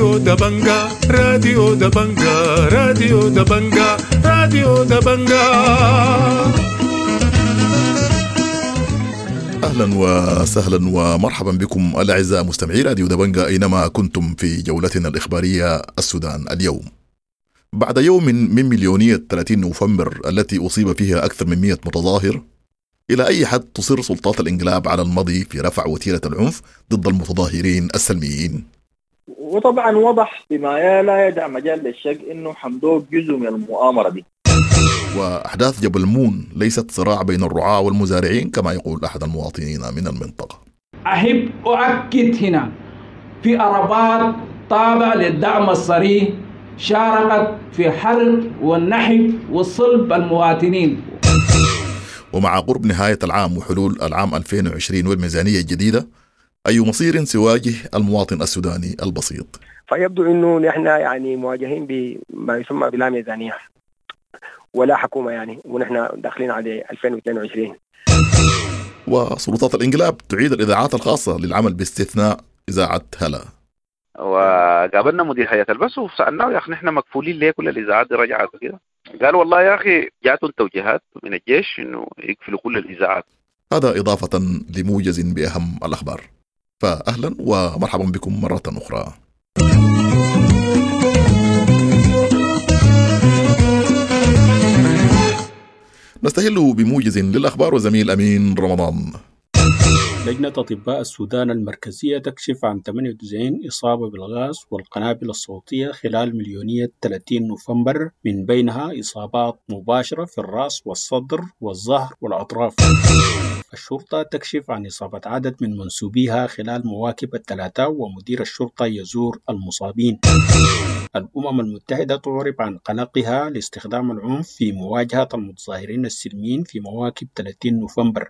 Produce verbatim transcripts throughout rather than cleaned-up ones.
راديو دبنجا، راديو دبنجا، راديو دبنجا، راديو دبنجا. أهلا وسهلا ومرحبا بكم الأعزاء مستمعي راديو دبنجا أينما كنتم في جولتنا الإخبارية السودان اليوم. بعد يوم من مليونية ثلاثين نوفمبر التي أصيب فيها أكثر من مئة متظاهر، إلى أي حد تصر سلطات الإنقلاب على المضي في رفع وتيرة العنف ضد المتظاهرين السلميين؟ وطبعا وضح بما لا يدع مجال للشك إنه حمدوك جزء من المؤامرة دي. وأحداث جبل مون ليست صراع بين الرعاة والمزارعين كما يقول أحد المواطنين من المنطقة. أحب أؤكد هنا في عربات تابعة للدعم الصريح شاركت في حرق والنحب وصلب المواطنين. ومع قرب نهاية العام وحلول العام ألفين وعشرين والميزانية الجديدة، أي مصير سيواجه المواطن السوداني البسيط؟ فيبدو أنه نحن يعني مواجهين بما يسمى بلا ميزانية ولا حكومة يعني، ونحن داخلين على ألفين واثنين وعشرين. وسلطات الإنقلاب تعيد الإذاعات الخاصة للعمل باستثناء إذاعة هلا. وقابلنا مدير هيئة البث وسألناه يا أخي نحن مكفولين ليه كل الإذاعات دي رجعت وكده؟ قال والله يا أخي جاتهم توجيهات من الجيش إنه يقفلوا كل الإذاعات. هذا إضافة لموجز بأهم الأخبار. فأهلا ومرحبا بكم مرة أخرى. نستهل بموجز للأخبار وزميل أمين رمضان. لجنة أطباء السودان المركزية تكشف عن ثمانية وتسعين إصابة بالغاز والقنابل الصوتية خلال مليونية ثلاثين نوفمبر، من بينها إصابات مباشرة في الرأس والصدر والظهر والأطراف. الشرطة تكشف عن إصابة عدد من منسوبيها خلال مواكب الثلاثاء، ومدير الشرطة يزور المصابين. الأمم المتحدة تعرب عن قلقها لاستخدام العنف في مواجهة المتظاهرين السلميين في مواكب ثلاثين نوفمبر.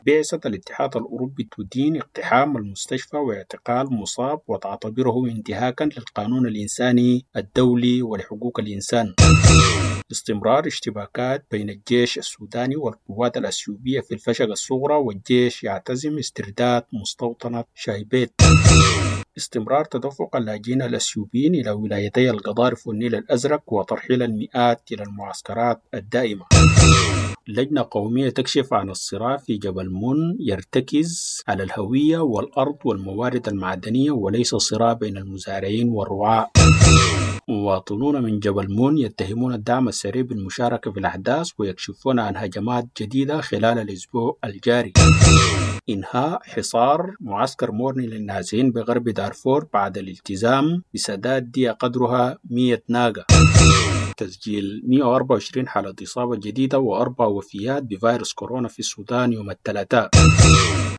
بعثة الاتحاد الأوروبي تدين اقتحام المستشفى واعتقال مصاب وتعتبره انتهاكا للقانون الإنساني الدولي ولحقوق الإنسان. استمرار اشتباكات بين الجيش السوداني والقوات الأثيوبية في الفشقة الصغرى، والجيش يعتزم استرداد مستوطنة شايبيت. استمرار تدفق اللاجئين الأثيوبيين إلى ولايتي القضارف والنيل الأزرق وترحيل المئات إلى المعسكرات الدائمة. لجنة قومية تكشف عن الصراع في جبل مون يرتكز على الهوية والأرض والموارد المعدنية وليس صراع بين المزارعين والرعاة. مواطنون من جبل مون يتهمون الدعم السريع بالمشاركة في الأحداث ويكشفون عن هجمات جديدة خلال الأسبوع الجاري. إنهاء حصار معسكر مورني للنازحين بغرب دارفور بعد الالتزام بسداد دية قدرها مئة ناقة. تسجيل مئة وأربعة وعشرين حالة إصابة جديدة وأربع وفيات بفيروس كورونا في السودان يوم الثلاثاء.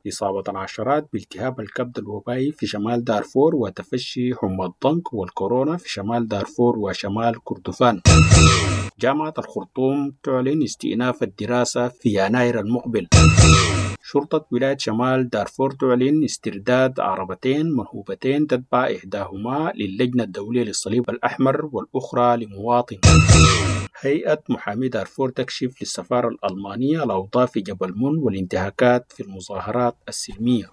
إصابة العشرات بالتهاب الكبد الوبائي في شمال دارفور وتفشي حمى الضنك والكورونا في شمال دارفور وشمال كردفان. جامعة الخرطوم تعلن استئناف الدراسة في يناير المقبل. شرطة ولاية شمال دارفور تعلن استرداد عربتين منهوبتين تتبع إحداهما للجنة الدولية للصليب الأحمر والأخرى لمواطن. هيئة محامي دارفور تكشف للسفارة الألمانية الأوضاع في جبل مون والانتهاكات في المظاهرات السلمية.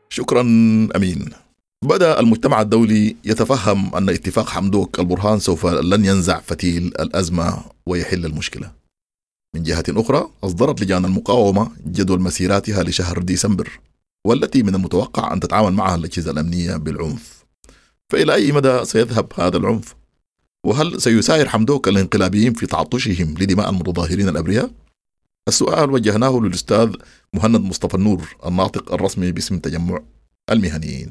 شكرا أمين. بدأ المجتمع الدولي يتفهم أن اتفاق حمدوك البرهان سوف لن ينزع فتيل الأزمة ويحل المشكلة. من جهة أخرى، أصدرت لجان المقاومة جدول مسيراتها لشهر ديسمبر، والتي من المتوقع أن تتعامل معها الأجهزة الأمنية بالعنف. فإلى أي مدى سيذهب هذا العنف؟ وهل سيساير حمدوك الانقلابيين في تعطشهم لدماء المتظاهرين الأبرياء؟ السؤال وجهناه للأستاذ مهند مصطفى النور، الناطق الرسمي باسم تجمع المهنيين.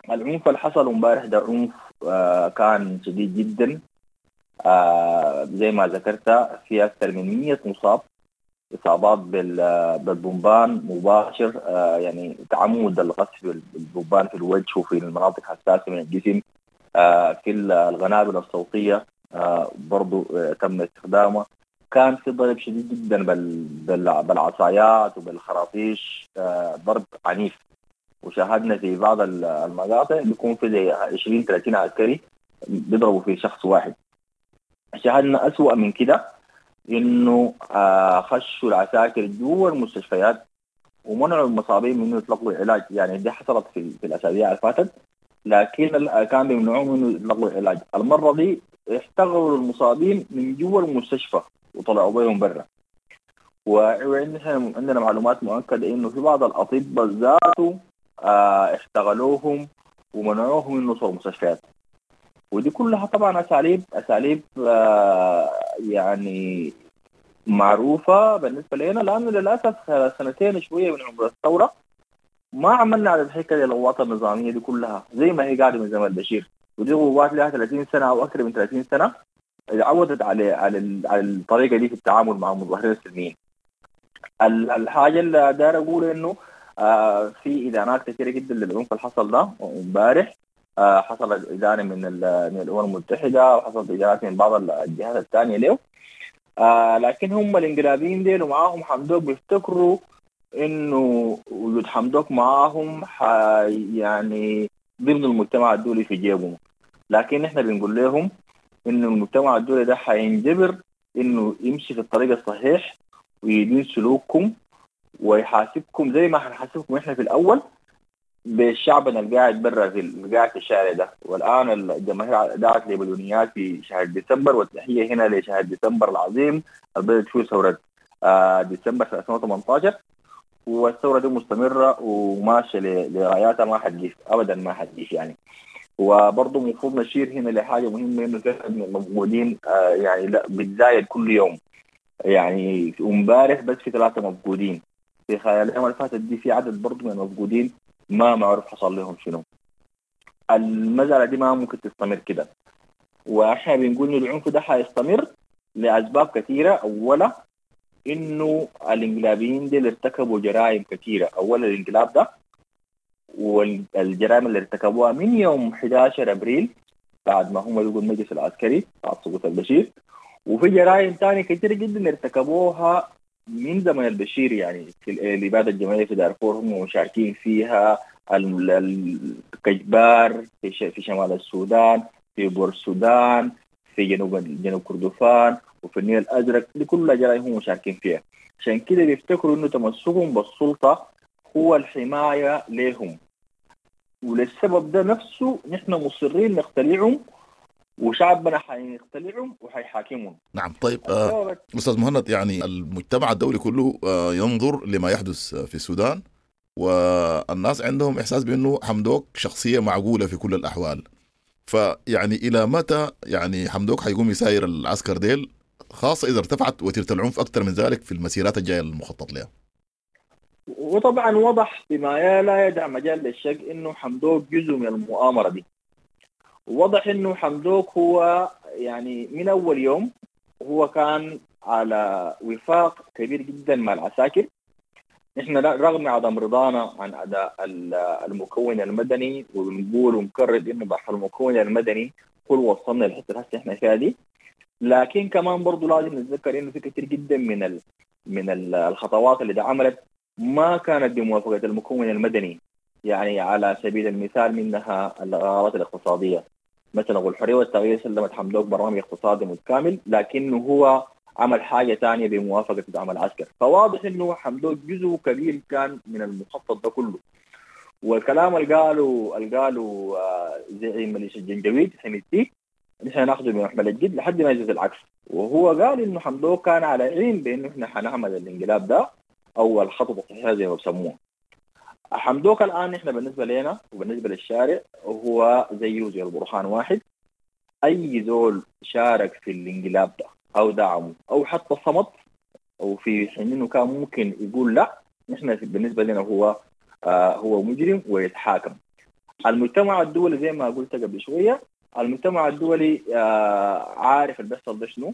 العنف اللي حصل امبارح ده عنف آه كان شديد جدا، آه زي ما ذكرت في أكثر من مئة مصاب، إصابات بالبومبان مباشر، آه يعني تعمد القصف بالبومبان في الوجه وفي المناطق الحساسة من الجسم، آه في القنابل الصوتية آه برضو آه تم استخدامها. كان في ضرب شديد جدا بالعصايات وبالخراطيش، آه ضرب عنيف، وشاهدنا في بعض المقاطع بيكون في زي عشرين ثلاثين عسكري بيضربوا في شخص واحد. شاهدنا أسوأ من كده انه آه خشوا العساكر جوا المستشفيات ومنعوا المصابين من انه يتلقوا علاج. يعني دي حصلت في, في الاسابيع اللي فاتت، لكن كان بيمنعوهم انه يتلقوا علاج. المرة دي احتغلوا المصابين من جوا المستشفى وطلعوا بيهم برا. وعندنا عندنا معلومات مؤكدة انه في بعض الاطباء ذاته آه احتغلوهم ومنعوهم من وصول المستشفيات. ودي كلها طبعا اساليب اساليب آه يعني معروفة بالنسبة لنا، لانه للاسف سنتين شوية من عمر الثورة ما عملنا على الحكاية دي القوات النظامية دي كلها زي ما هي قاعدة من زمن البشير، ودي قوات لها ثلاثين سنة او اكثر من ثلاثين سنة عودت على على على الطريقة دي في التعامل مع المظاهرين السلميين. الحاجة اللي داير اقول انه آه في ادانات كثيرة جدا للعنف اللي حصل ده امبارح. آه حصلت ادانة من من الامم المتحدة، وحصلت ادانات من بعض الجهات الثانية له. آه لكن هم الانقلابيين ديل ومعاهم حمدوك بيفتكروا انه وجود حمدوك معاهم يعني ضمن المجتمع الدولي في جيبهم، لكن احنا بنقول لهم انه المجتمع الدولي ده حينجبر انه يمشي في الطريق الصحيح ويدين سلوككم ويحاسبكم زي ما حنحاسبكم احنا في الاول بالشعب اللي قاعد برا في اللي قاعد في الشارع ده. والان الجماهير دعت لبلونيات في شهر ديسمبر، والتحيه هنا لشهر ديسمبر العظيم اللي بدأت فيه ثورة آه ديسمبر ألفين وثمانية عشر، والثورة دي مستمرة وماشية لغاياتها، ما حتجيف ابدا، ما حتجيف يعني. وبرضه المفروض نشير هنا لحاجة مهمة، انه من المفقودين آه يعني لا بتزايد كل يوم. يعني امبارح بس في ثلاثة مفقودين، في خلال الايام اللي فاتت دي في عدد برضه من المفقودين ما معروف حصل لهم شنو. المسألة دي ما ممكن تستمر كده، واحنا بنقول انه العنف ده حيستمر لاسباب كثيرة. اولا انه الانقلابيين دي ارتكبوا جرائم كثيرة، اولا الانقلاب ده والجرائم اللي ارتكبوها من يوم أحد عشر ابريل بعد ما هم لقوا المجلس العسكري بعد سقوط البشير، وفي جرائم ثانية كثيرة جدا ارتكبوها من زمن البشير، يعني في الإبادة الجماعية في دارفور هم مشاركين فيها، الكجبار في شمال السودان، في بور السودان، في جنوب جنوب كردفان، وفي النيل الأزرق، دي كلها جرائم هم مشاركين فيها. عشان كده بيفتكروا إنه تمسكهم بالسلطة هو الحماية لهم، وللسبب ده نفسه نحن مصرين نختلعهم، وشعبنا حيختلعهم وحيحاكمهم. نعم. طيب آه، أستاذ مهند، يعني المجتمع الدولي كله آه ينظر لما يحدث في السودان، والناس عندهم إحساس بأنه حمدوك شخصية معقولة في كل الأحوال. فيعني إلى متى يعني حمدوك حيقوم يساير العسكر ديل، خاصة إذا ارتفعت وتيرة العنف أكثر من ذلك في المسيرات الجاية المخطط لها؟ وطبعا وضح بما لا يدع مجال للشك إنه حمدوك جزء من المؤامرة دي. وضح انه حمدوك هو يعني من اول يوم هو كان على وفاق كبير جدا مع العساكر. نحن رغم عدم رضانا عن اداء المكون المدني، وبنقول ونكرر انه بحر المكون المدني هو اللي وصلنا للحتة اللي احنا فيها دي، لكن كمان برضه لازم نتذكر انه في كثير جدا من ال من الخطوات اللي عملت ما كانت بموافقة المكون المدني. يعني على سبيل المثال منها القرارات الاقتصادية، مثلا الحرية والتغيير سلمت حمدوك برنامج اقتصادي متكامل، لكنه هو عمل حاجة ثانية بموافقة دعم العسكر. فواضح انه حمدوك جزء كبير كان من المخطط ده كله. والكلام اللي قاله اللي قاله زعيم ميليشيا الجنجويد حميدتي نحن ناخذه بمحمل الجد لحد ما يجوز العكس، وهو قال انه حمدوك كان على علم بانه احنا حنعمل الانقلاب ده او الخطوة الصحيحة زي ما بسموها. حمدوك الآن إحنا بالنسبة لنا وبالنسبة للشارع هو زيه زي البرهان واحد. أي زول شارك في الانقلاب ده أو دعمه أو حتى صمت أو في حين إنه كان ممكن يقول لا، نحن بالنسبة لنا هو آه هو مجرم ويتحاكم. المجتمع الدولي زي ما قلت قبل شوية، المجتمع الدولي آه عارف اللي بيحصل ده شنو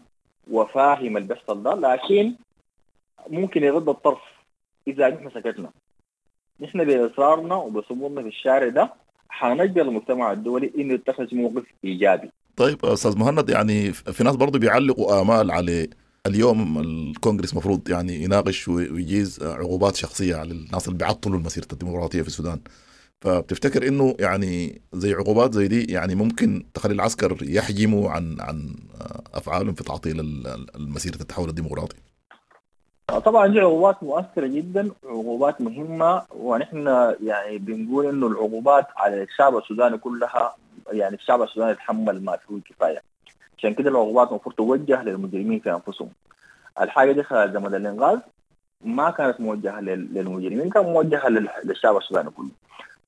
وفاهم اللي بيحصل ده، لكن ممكن يغض الطرف إذا نحن سكتنا. نحن بإصرارنا وبصمودنا في الشارع ده حنجبر المجتمع الدولي إنه يتخذ موقف إيجابي. طيب أستاذ مهند، يعني في ناس برضو بيعلقوا آمال على اليوم الكونغرس مفروض يعني يناقش ويجيز عقوبات شخصية على الناس اللي بيعطلوا المسيرة الديمقراطية في السودان. فبتفتكر انه يعني زي عقوبات زي دي يعني ممكن تخلي العسكر يحجموا عن عن افعالهم في تعطيل المسيرة التحول الديمقراطي؟ طبعا دي عقوبات مؤثرة جدا، عقوبات مهمة، ونحن يعني بنقول انه العقوبات على الشعب السوداني كلها، يعني الشعب السوداني يتحمل ما فيه الكفاية. عشان كده العقوبات المفروض توجه للمجرمين في انفسهم. الحاجة دي خلال زمن الانغاز ما كانت موجهة للمجرمين، كانت موجهة للشعب السوداني كله.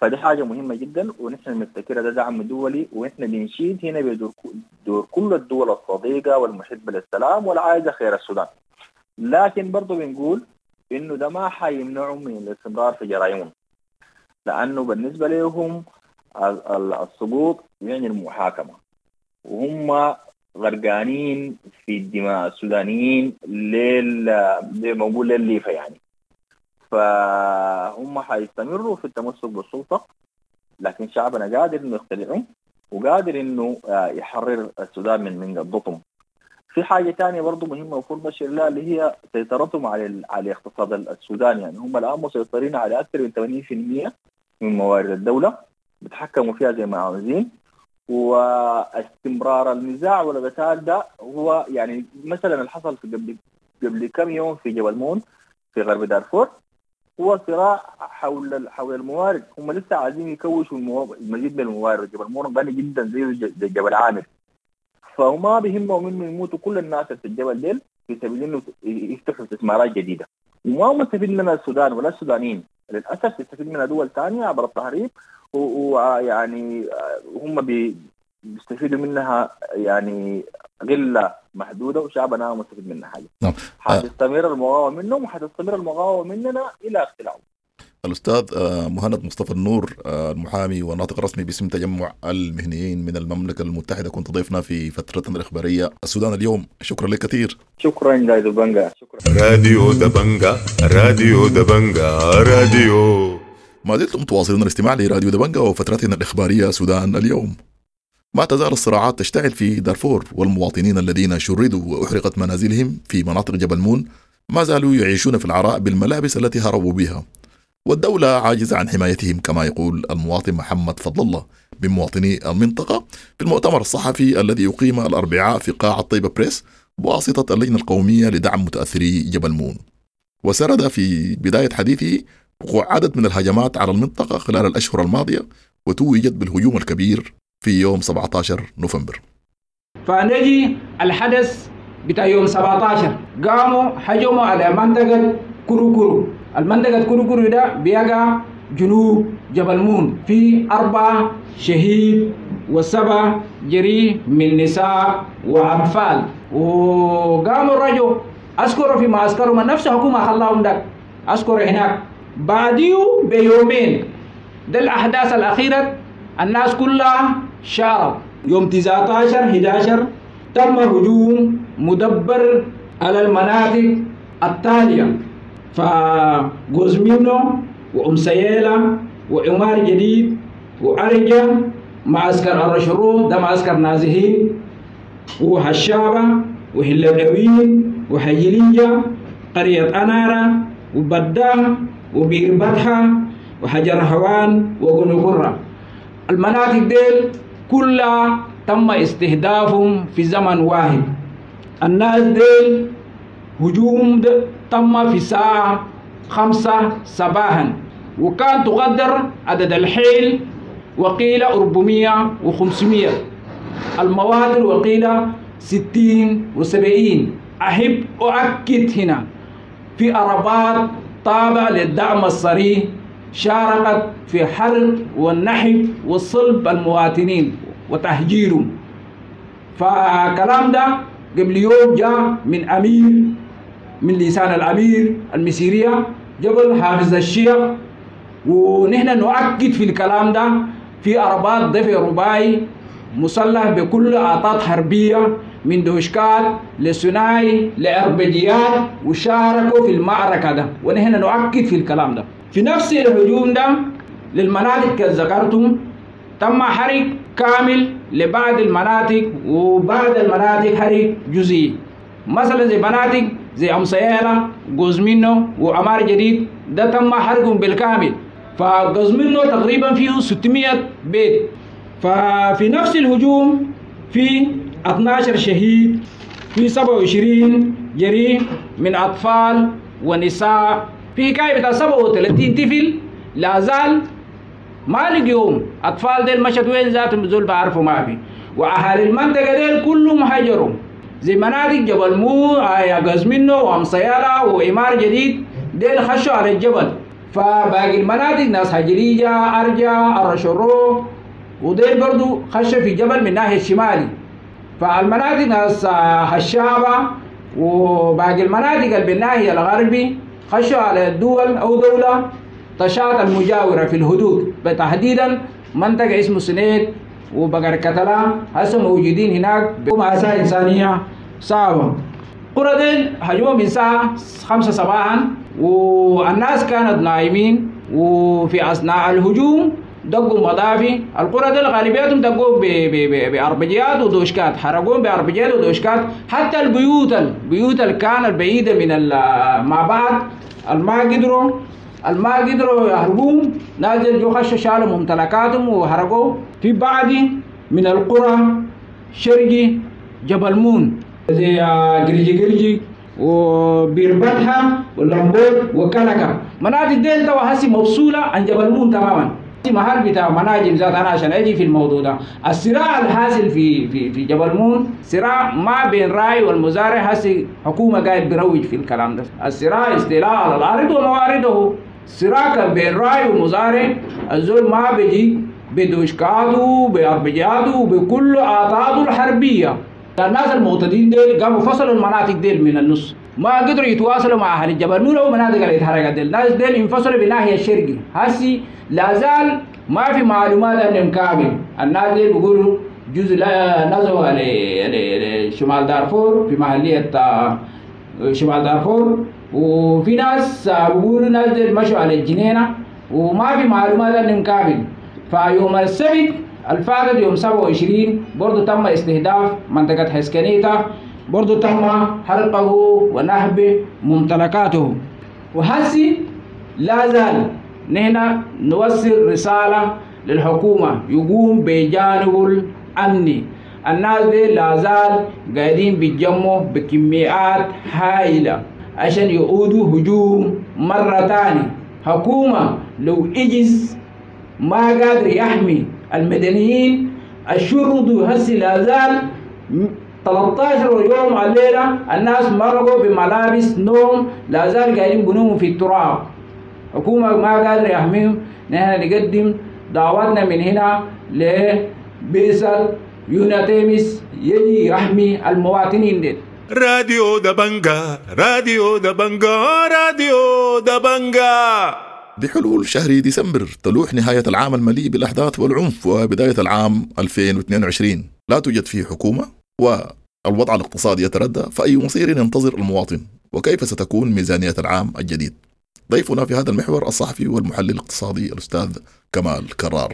فدي حاجة مهمة جدا، ونحن بنفتكرها ده دعم دولي، ونحن بنشيد هنا بدور دور كل الدول الصديقة والمحبة للسلام والعايزه خير السودان. لكن برضه بنقول انه ده ما حيمنعهم من الاستمرار في جرائمهم، لانه بالنسبة لهم السقوط يعني المحاكمة، وهم غرقانين في الدماء السودانيين لل زي ما نقول للليفه يعني. فهم حيستمروا في التمسك بالسلطة، لكن شعبنا قادر انه يختلعهم وقادر انه يحرر السودان من من قبضتهم. في حاجة ثانية برضه مهمة المفروض نشير لها، اللي هي سيطرتهم على على اقتصاد السودان. يعني هم الان مسيطرين على اكثر من ثمانين بالمئة من موارد الدولة، بيتحكموا فيها زي ما عاوزين. واستمرار النزاع والقتال ده هو يعني مثلا اللي حصل في قبل قبل كم يوم في جبل مون في غرب دارفور، هو صراع حول حول الموارد. هم لسه عايزين يكوشوا المزيد من الموارد. جبل مون غني جدا زي زي جبل عامر، فما بيهمهم انه يموتوا كل الناس في الجبل ديل في سبيل انه يفتحوا استثمارات جديدة. وما مستفيد منها السودان ولا السودانيين، للاسف يستفيد منها دول ثانية عبر التهريب، ويعني هم بيستفيدوا منها يعني قلة محدودة، وشعبنا ما مستفيد منها حاجة. نعم. حتستمر المقاومة منهم وحتستمر المقاومة مننا الى اقتلاعهم. الأستاذ مهند مصطفى النور، المحامي والناطق الرسمي باسم تجمع المهنيين من المملكة المتحدة، كنت ضيفنا في فترتنا الإخبارية السودان اليوم. شكرا لك كثير. شكرا راديو دبنجا. شكرا راديو دبنجا، راديو دبنجا، راديو. ما زلتم تواصلون الاستماع لراديو دبنجا وفترتنا الإخبارية سودان اليوم. ما تزال الصراعات تشتعل في دارفور، والمواطنين الذين شردوا وأحرقت منازلهم في مناطق جبل مون ما زالوا يعيشون في العراء بالملابس التي هربوا بها، والدولة عاجزة عن حمايتهم كما يقول المواطن محمد فضل الله من مواطني المنطقة في المؤتمر الصحفي الذي أقيم الأربعاء في قاعة طيبة بريس بواسطة اللجنة القومية لدعم متأثري جبل مون. وسرد في بداية حديثه وقوع عدد من الهجمات على المنطقة خلال الأشهر الماضية، وتوجت بالهجوم الكبير في يوم سبعة عشر نوفمبر. فنجي الحدث بتاع يوم سبعة عشر، قاموا هجموا على منطقة كروكرو. المنطقة كروكرو ده بيقع جنوب جبل مون، في أربع شهيد وسبع جريح من نساء وأطفال. وقاموا الرجل أذكروا في معسكرهم نفس حكومة خلاهم ده أذكر هناك. بعديه بيومين ده الأحداث الأخيرة الناس كلها شاروا. يوم تسعة عشر أحد عشر تم هجوم مدبر على المناطق التالية، فجوزمينو وأم سيالة وعمار جديد وأرجة، معسكر الرشرو ده معسكر نازحين، وحشابة وهلبوين وحجلية، قرية أنارة وبدام وبير بطحة وحجر هوان وقنقرة. المناطق ديل كلها تم استهدافهم في زمن واحد. الناس ديل هجوم تم في ساعة خمسة صباحا، وكان تقدر عدد الحيل وقيل أربعمية وخمسمية، المواتر وقيل ستين وسبعين. أحب أؤكد هنا في عربات تابعة للدعم الصريح شاركت في حرق والنحب وصلب المواطنين وتهجيرهم. فكلام ده قبل يوم جاء من أمير، من لسان الأمير المسيرية جبل حافظ الشيخ، ونحن نؤكد في الكلام ده. في عربات دفع رباعي مسلح بكل أعطات حربية من دوشكات لسناي لأربجيات، وشاركوا في المعركة ده، ونحن نؤكد في الكلام ده. في نفس الهجوم ده للمناطق كذكرتم تم حرق كامل لبعض المناطق، وبعض المناطق حرق جزئي، مثلا زي مناطق زي أم سيالة، جوزمينو، وعمار جديد ده تم حرقهم بالكامل. فقزمنه تقريبا فيه ستمية بيت. ففي نفس الهجوم في اثناشر شهيد، في سبعة وعشرين جريح من أطفال ونساء، في حكاية بتاع سبعة وثلاثين طفل لا زال ما لقيهم. أطفال ديل مشت وين ذاتهم زول بعرفوا ما في. وأهالي المنطقة ديل كلهم هجروا زي مناطق جبل مو قزمنه وأمصيالة وإمار جديد، ديل خشوا على الجبل. فباقي المناطق ناس هجريجة، أرجا، الرشرو، وديل برضو خشوا في جبل من ناحية الشمالي. فالمناطق ناس هشابة وباقي المناطق اللي بالناحية الغربي خشوا على الدول أو دولة تشاط المجاورة في الحدود، تحديدا منطقة اسمه سنيد وبقر كتلا هسه موجودين هناك بمأساة إنسانية صعبة. قرى ديل هجموا من الساعة خمسة صباحا والناس كانت نايمين، وفي أثناء الهجوم دقوا مضافي. القرى ديل غالبيتهم دقوا بأربجيات ودوشكات، حرقوهم بأربجيات ودوشكات. حتى البيوت البيوت اللي كانت بعيدة من مع بعض الما قدروا الما قدروا يهربون، نازل جو خشوا شالوا ممتلكاتهم وهربوا. في بعض من القرى شرقي جبل مون زي قرجي قرجي وبيربتها ولمبوت وكلكا، مناطق ديل توا هسي مفصولة عن جبل مون تماما. محل بتاع مناجم ذات انا عشان اجي في الموضوع ده. الصراع الحاصل في في في جبل مون صراع ما بين راي والمزارع، هسي حكومه قاعد بيروج في الكلام ده. الصراع استيلاء على الارض وموارده، صراع كان بين راي ومزارع. الزول ما بيجي بدوشكاته بأربجاته بكل اعطاده الحربيه. الناس المعتدين ديل قاموا فصلوا المناطق ديل من النص، ما قدروا يتواصلوا مع اهل الجبل مون او مناطق اللي اتحرقت ديل. الناس ديل انفصلوا بالناحيه الشرقي، هسي لا زال ما في معلومات عنهم كامل. الناس ديل بيقولوا جزء لا نزلوا لشمال دارفور في محلية شمال دارفور، وفي ناس بيقولوا ناس ديل مشوا على الجنينة وما في معلومات عنهم كامل. فيوم السبت الفاتت يوم سبعة وعشرين برضو تم استهداف منطقة حسكنيتا، برضو تم حرقه ونهب ممتلكاته. وهسي لا زال نحن نوصل رسالة للحكومة يقوم بجانب الأمني. الناس دي لا زال قاعدين بيتجمعوا بكميات هائلة عشان يعودوا هجوم مرة تانية. حكومة لو إجز ما قادر يحمي المدنيين الشرطة هسي لا زال ثلاثة عشر يوم على الليلة الناس مرقوا بملابس نوم، لا زال قاعدين بنوموا في التراب. حكومة ما قادرة يحميهم. نحن نقدم دعوتنا من هنا لبيسل يوناتيمس يجي يحمي المواطنين دي. راديو دبنجا، راديو دبنجا، راديو دبنجا. بحلول شهر ديسمبر تلوح نهاية العام المليء بالأحداث والعنف وبداية العام ألفين واثنين وعشرين لا توجد فيه حكومة والوضع الاقتصادي يتردى، فأي مصير ينتظر المواطن وكيف ستكون ميزانية العام الجديد؟ ضيفنا في هذا المحور الصحفي والمحلل الاقتصادي الأستاذ كمال كرار.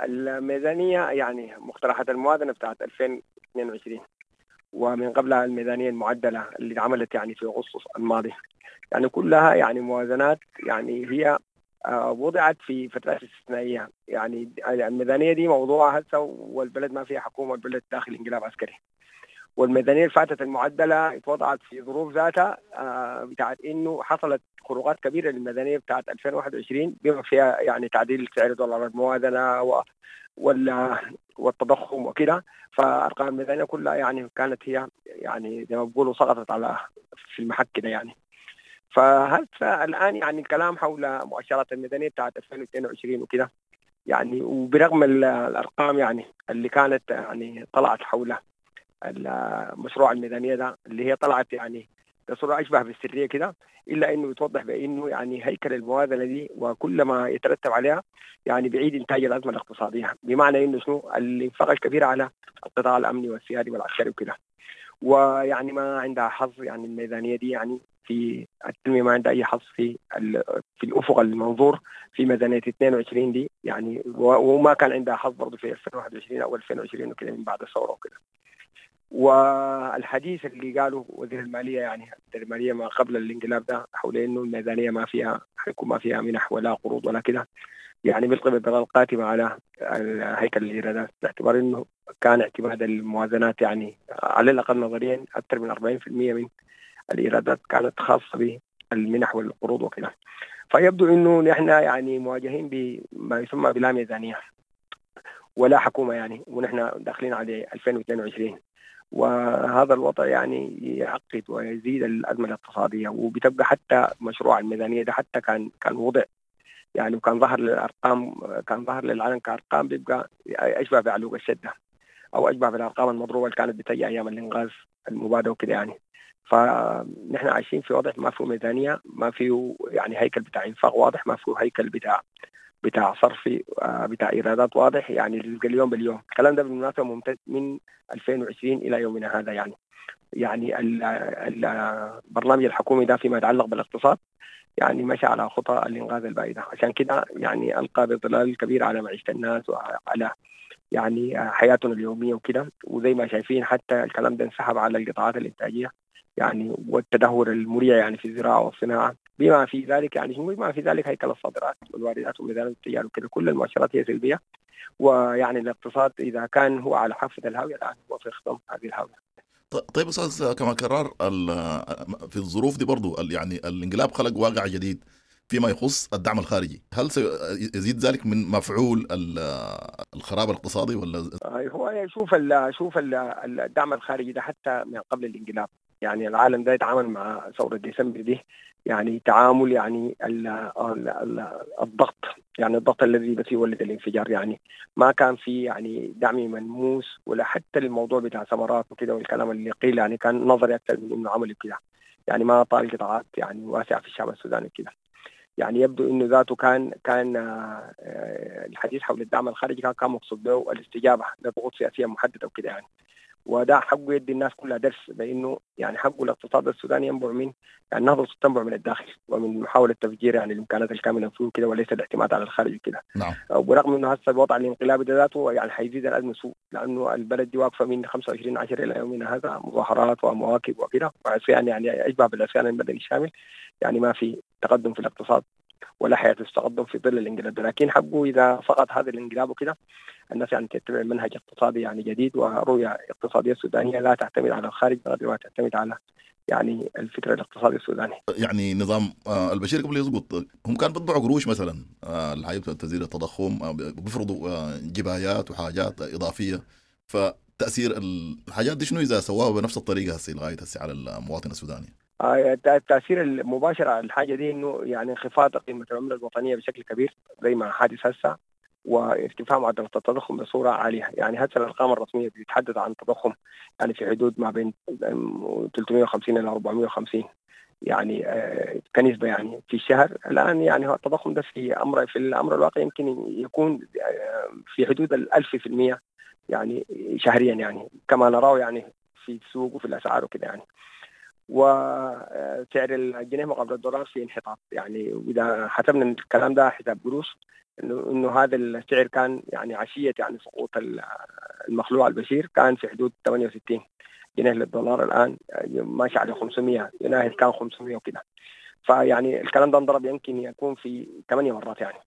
الميزانية يعني مقترحات الموازنة بتاعت ألفين واثنين وعشرين ومن قبلها الميزانية المعدلة اللي اتعملت يعني في أغسطس الماضي، يعني كلها يعني موازنات يعني هي وضعت في فترات استثنائية. يعني الميزانية دي موضوعها هسه والبلد ما فيها حكومة، والبلد داخل انقلاب عسكري، والميزانية اللي فاتت المعدلة اتوضعت في ظروف ذاتها بتاعت انه حصلت خروقات كبيرة للميزانية بتاعت ألفين وواحد وعشرين بما فيها يعني تعديل سعر دولار الموازنة و والتضخم وكده. فأرقام الميزانية كلها يعني كانت هي يعني زي ما بيقولوا سقطت على في المحك كده يعني. فهسه الآن يعني الكلام حول مؤشرات الميزانية بتاعت ألفين واثنين وعشرين وكده يعني، وبرغم الأرقام يعني اللي كانت يعني طلعت حول المشروع الميزانية ده اللي هي طلعت يعني بصورة أشبه بالسرية كده، إلا إنه يتوضح بأنه يعني هيكل الموازنة دي وكل ما يترتب عليها يعني بعيد إنتاج الأزمة الاقتصادية، بمعنى إنه شنو الإنفاق الكبير على القطاع الأمني والسيادي والعسكري وكده، ويعني ما عندها حظ يعني الميزانية دي يعني في التنمية ما عندها أي حظ في في الأفق المنظور في ميزانية اثنين وعشرين دي يعني، وما كان عندها حظ برضه في ألفين وواحد وعشرين أو ألفين وعشرين وكده من بعد الثورة وكده. والحديث اللي قاله وزير المالية يعني وزير المالية ما قبل الانقلاب ده حول انه الميزانية ما فيها حيكون ما فيها منح ولا قروض ولا كده، يعني بيلقي بظلال قاتمه على هيكل الايرادات، باعتبار انه كان اعتماد الموازنات يعني على الاقل نظريا اكثر من أربعين بالمئة من الايرادات كانت خاصة بالمنح والقروض وكده. فيبدو انه نحن يعني مواجهين بما يسمى بلا ميزانية ولا حكومة يعني، ونحن داخلين على ألفين واثنين وعشرين، وهذا الوضع يعني يعقد ويزيد الأزمة الاقتصادية. وبتبقى حتى مشروع الميزانية ده حتى كان كان وضع يعني وكان ظهر للأرقام، كان ظهر للعلن كأرقام، بيبقى أشبه بعلوق الشدة أو أشبه بالأرقام المضروبة اللي كانت بتجي أيام الإنغاز المبادئ وكده يعني. فنحن عايشين في وضع ما فيه ميزانية، ما فيه يعني هيكل بتاع إنفاق واضح، ما فيه هيكل بتاع بتاع صرف بتاع إيرادات واضح، يعني اليوم باليوم. الكلام ده بالمناسبة ممتد من ألفين وعشرين إلى يومنا هذا يعني. يعني البرنامج الحكومي ده فيما يتعلق بالاقتصاد يعني مشى على خطى الإنغاز البائدة، عشان كده يعني ألقى بظلال كبير على معيشة الناس وعلى يعني حياتنا اليومية وكده. وزي ما شايفين حتى الكلام ده انسحب على القطاعات الإنتاجية يعني، والتدهور المريع يعني في الزراعة والصناعة، بما في ذلك يعني بما في ذلك هيكل الصادرات والواردات وميزان التجارة وكده، كل المؤشرات هي سلبية. ويعني الاقتصاد إذا كان هو على حافة الهاوية الآن هو في خضم هذه الهاوية. طيب أستاذ كمال كرار، في الظروف دي برضو يعني الانقلاب خلق واقع جديد فيما يخص الدعم الخارجي، هل سيزيد ذلك من مفعول الخراب الاقتصادي ولا؟ هو شوف ال شوف ال الدعم الخارجي ده حتى من قبل الانقلاب يعني العالم ده يتعامل مع ثورة ديسمبر دي يعني تعامل يعني ال ال الضغط، يعني الضغط الذي بس يولد الانفجار، يعني ما كان في يعني دعم ملموس ولا حتى الموضوع بتاع ثمرات وكده والكلام اللي قيل يعني كان نظري أكثر من إنه عملي كده، يعني ما طال قطاعات يعني واسعة في الشعب السوداني كده. يعني يبدو إنه ذاته كان كان الحديث حول الدعم الخارجي كان كان مقصود به الاستجابة لضغوط سياسية محددة وكده يعني، وده حقه يدي الناس كلها درس بانه يعني حقه الاقتصاد السوداني ينبع من يعني النهضة تنبع من الداخل ومن محاولة تفجير يعني الامكانات الكامنة فيه كده، وليس الاعتماد على الخارج كده. نعم. ورغم انه هسه الوضع الانقلابي ده ذاته يعني حيزيد الازمة سوء، لانه البلد دي واقفة من خمسة وعشرين عشرة الى يومنا هذا مظاهرات ومواكب وكده وعصيان، يعني اشبه بالعصيان المدني الشامل، يعني ما في تقدم في الاقتصاد ولا حياة التقدم في ظل الانقلاب. لكن حقه إذا سقط هذا الانقلاب وكده الناس يعني تتبع منهج اقتصادي يعني جديد ورؤية اقتصادية سودانية لا تعتمد على الخارج بقدر ما تعتمد على يعني الفكر الاقتصادي السوداني. يعني نظام البشير قبل يسقط هم كانوا بيطبعوا قروش مثلا الحاجة تزيد التضخم، بيفرضوا جبايات وحاجات إضافية، فتأثير الحاجات دي شنو إذا سواها بنفس الطريقة هسه لغاية هسه على المواطن السوداني؟ التأثير المباشر على الحاجة دي إنه يعني انخفاض قيمة العملة الوطنية بشكل كبير زي ما حادث هسه، وارتفاع معدل التضخم بصورة عالية. يعني هسه الأرقام الرسمية بتتحدث عن تضخم يعني في حدود ما بين ثلاثمئة وخمسين إلى أربعمئة وخمسين يعني كنسبة يعني في الشهر. الآن يعني التضخم ده في أمر في الأمر الواقع يمكن يكون في حدود الألف في المية يعني شهريا، يعني كما نراه يعني في السوق وفي الأسعار وكده يعني. وسعر الجنيه مقابل الدولار في انحطاط، يعني وإذا حسبنا الكلام ده حساب قروش إنه إنه هذا السعر كان يعني عشية يعني سقوط المخلوع البشير كان في حدود ثمانية وستين جنيه للدولار، الآن ماشي على خمسمئة، يناهز كان خمسمئة وكده. فيعني الكلام ده انضرب يمكن يكون في ثمانية مرات يعني.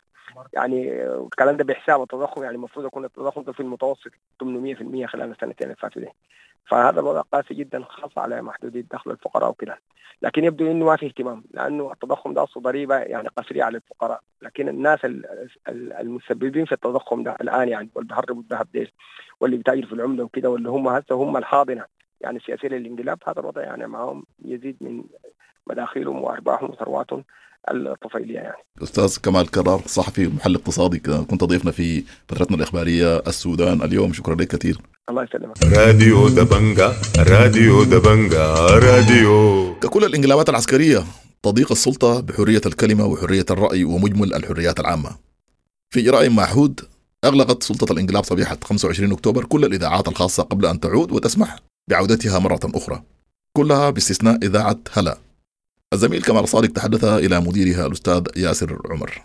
يعني الكلام ده بحساب التضخم، يعني المفروض يكون التضخم ده في المتوسط ثمانمئة بالمئة خلال السنتين اللي فاتوا دي. فهذا الوضع قاسي جدا خاصة على محدودي الدخل الفقراء وكده. لكن يبدو انه ما في اهتمام، لانه التضخم ده اصله ضريبة يعني قسريه على الفقراء، لكن الناس المسببين في التضخم ده الان يعني واللي بيهربوا الذهب ديل واللي بيتاجروا في العملة وكده واللي هم هسه هم الحاضنة يعني السياسية للانقلاب، هذا الوضع يعني معهم يزيد من مداخيلهم وارباحهم وثرواتهم الطفيلية يعني. أستاذ كمال كرار، صحفي ومحلل اقتصادي، كنت ضيفنا في فترتنا الإخبارية السودان اليوم، شكرا لك كثير. الله يسلمك. راديو دبنجا، راديو دبنجا، راديو. ككل الانقلابات العسكرية تضيق السلطة بحرية الكلمة وحرية الرأي ومجمل الحريات العامة. في إجراء معهود أغلقت سلطة الانقلاب صبيحة خمسة وعشرين أكتوبر كل الإذاعات الخاصة قبل أن تعود وتسمح بعودتها مرة أخرى، كلها باستثناء إذاعة هلا. الزميل كمال صادق تحدث إلى مديرها الأستاذ ياسر عمر.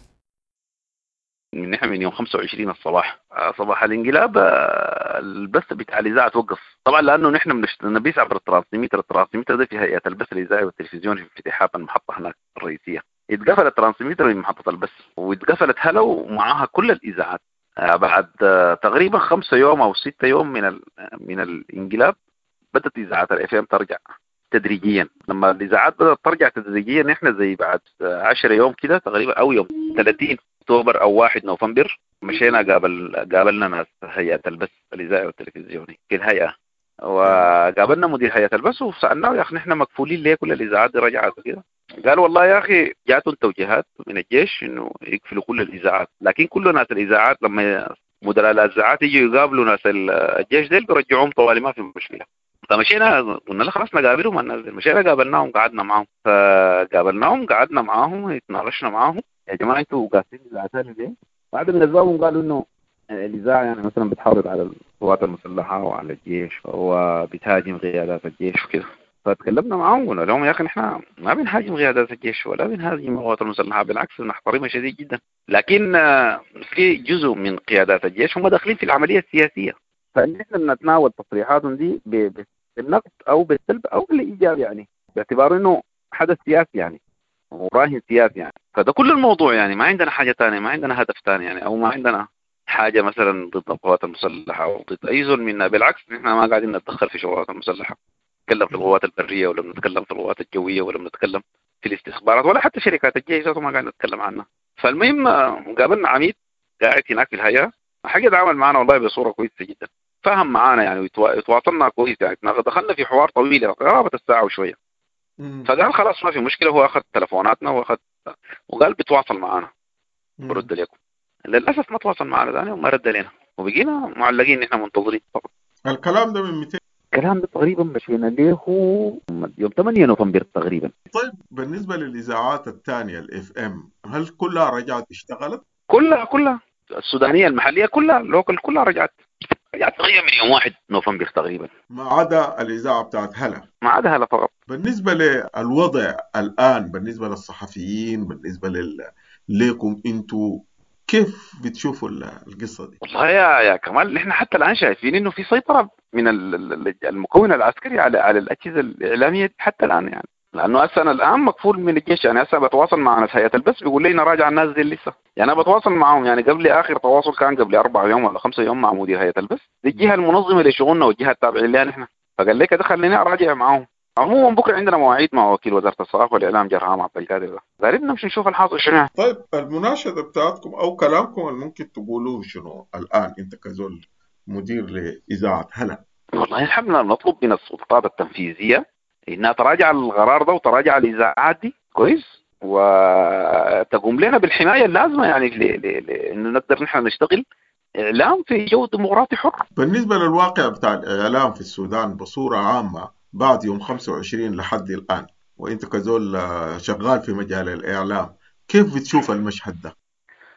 من نحن من يوم خمسة وعشرين الصباح، صباح الانقلاب البث بتاع الاذاعة توقف طبعا، لانه نحن بنبث عبر ال transmitter. ال transmitter ده في هيئة البث الاذاعي والتلفزيوني في افتتاحات المحطة هناك الرئيسية. اتقفل ال transmitter من محطة البث، واتقفلت هلا ومعاها كل الاذاعات. بعد تقريبا خمسة يوم او ستة يوم من من الانقلاب بدات اذاعات ال FM ترجع تدريجيا. لما الاذاعات بدات ترجع تدريجيا نحن زي بعد عشرة يوم كده تقريبا، او يوم ثلاثين اكتوبر او واحد نوفمبر، مشينا قابل قابلنا ناس هيئة البث الاذاعي والتلفزيوني في الهيئة، وقابلنا مدير هيئة البث وسالناه يا اخي نحن مكفولين ليه كل الاذاعات دي رجعت وكده؟ قال والله يا اخي جاتهم توجيهات من الجيش انه يقفلوا كل الاذاعات، لكن كل ناس الاذاعات لما مدراء الاذاعات يجوا يقابلوا ناس الجيش ديل بيرجعوهم طوالي، ما في مشكلة. فمشينا قلنا له خلاص نقابلهم الناس ديل، مشينا قابلناهم قعدنا معاهم، فقابلناهم قعدنا معاهم اتناقشنا معاهم، يا جماعة انتوا قافلين الاذاعات ليه؟ بعد من اسبابهم قالوا انه الاذاعة يعني مثلا بتحافظ على القوات المسلحة وعلى الجيش وبتهاجم قيادات الجيش وكده. فتكلمنا معاهم قلنا لهم يا اخي نحن ما بنهاجم قيادات الجيش ولا بنهاجم القوات المسلحة، بالعكس بنحترمها شديد جدا، لكن في جزء من قيادات الجيش هم داخلين في العملية السياسية، فنحن بنتناول تصريحاتهم دي بالنقد او بالسلب او بالايجاب، يعني باعتبار انه حدث سياسي يعني وراهن سياسي يعني. فده كل الموضوع يعني، ما عندنا حاجة ثانية، ما عندنا هدف ثاني يعني، او ما عندنا حاجة مثلا ضد القوات المسلحة او ضد اي زول منا، بالعكس نحن ما قاعدين نتدخل في شغلات المسلحة، نتكلم في القوات البرية ولا بنتكلم في القوات الجوية ولا بنتكلم في الاستخبارات ولا حتى شركات الجيش ما قاعدين نتكلم عنها. فالمهم قابلنا عميد قاعد هناك في الهيئة، حاجة تعامل معنا والله بصورة كويسة جدا، فهم معانا يعني وتواصلنا كويس يعني، دخلنا في حوار طويل قرابة الساعة وشوية. فقال خلاص ما في مشكلة، هو اخذ تلفوناتنا واخذ وقال بيتواصل معانا برد لكم. للاسف ما تواصل معنا ثاني وما رد لنا، وبقينا معلقين نحن منتظرين فقط. الكلام ده من مئتين الكلام ده تقريبا مشينا له يوم ثمانية نوفمبر تقريبا. طيب بالنسبة للاذاعات الثانية ال FM، هل كلها رجعت اشتغلت؟ كلها كلها السودانية المحلية كلها local كلها رجعت رجعت تقريبا من يوم واحد نوفمبر تقريبا، ما عدا الاذاعة بتاعت هلا. ما عدا هلا فقط. بالنسبة للوضع الان، بالنسبة للصحفيين، بالنسبة لل... لكم انتوا، كيف بتشوفوا القصة دي؟ والله يا يا كمال نحن حتى الان شايفين انه في سيطرة من المكون العسكري على على الاجهزة الاعلامية حتى الان يعني، لانه هسه انا الان مكفول من الجيش يعني. هسه بتواصل مع ناس هيئة البث بيقول لي نراجع الناس دي لسه يعني، انا بتواصل معاهم يعني قبل اخر تواصل كان قبل اربع يوم ولا خمسة يوم مع مدير هيئة البث، دي الجهة المنظمة لشغلنا والجهة التابعة لها نحن، فقال لك ده خليني اراجع معاهم. عموما بكره عندنا مواعيد مع وكيل وزارة الثقافة والاعلام جرهام عبد القادر ده، غالبا نمشي نشوف الحاصل شنو. طيب المناشده بتاعتكم او كلامكم اللي ممكن تقولوه شنو الان انت كزول مدير لاذاعة هلا؟ والله نحن نطلب من السلطات التنفيذية انها تراجع القرار ده وتراجع الاذاعات دي كويس، وتقوم لنا بالحمايه اللازمة يعني لانه نقدر نحن نشتغل اعلام في جو ديمقراطي حر. بالنسبة للواقع بتاع الاعلام في السودان بصورة عامة بعد يوم خمسة وعشرين لحد الآن، وإنت كزول شغال في مجال الإعلام، كيف بتشوف المشهد ده؟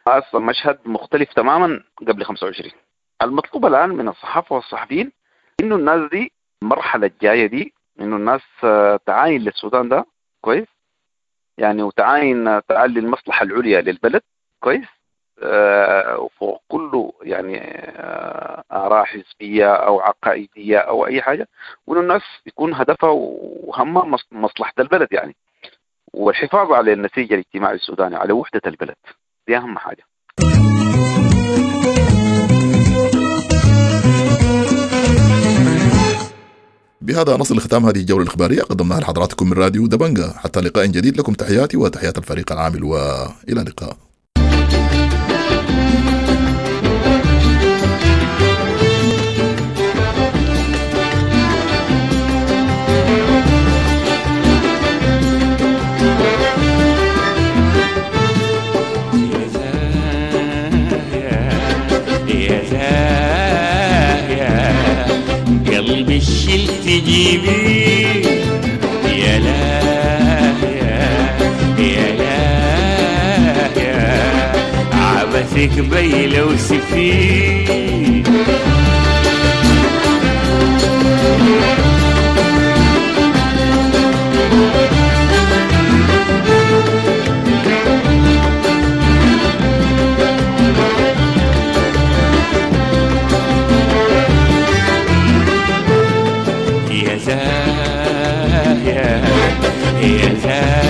أصلا مشهد مختلف تماما قبل خمسة وعشرين. المطلوب الآن من الصحافة والصحفيين إنه الناس دي المرحلة الجاية دي إنه الناس تعاين للسودان ده كويس يعني، وتعاين تعالي المصلحة العليا للبلد كويس، وفوق كله يعني آراء حزبية أو عقائدية أو أي حاجة، وإنه الناس يكون هدفها وهمها مصلحة البلد يعني، والحفاظ على النسيج الاجتماعي السوداني، على وحدة البلد، دي أهم حاجة. بهذا نصل لختام هذه الجولة الإخبارية قدمناها لحضراتكم من راديو دبنجة. حتى لقاء جديد، لكم تحياتي وتحيات الفريق العامل، وإلى اللقاء. قلبي الشيل تجيبي يا لا يا لا يا عبثك بي لو سفي. يا يا زاهية.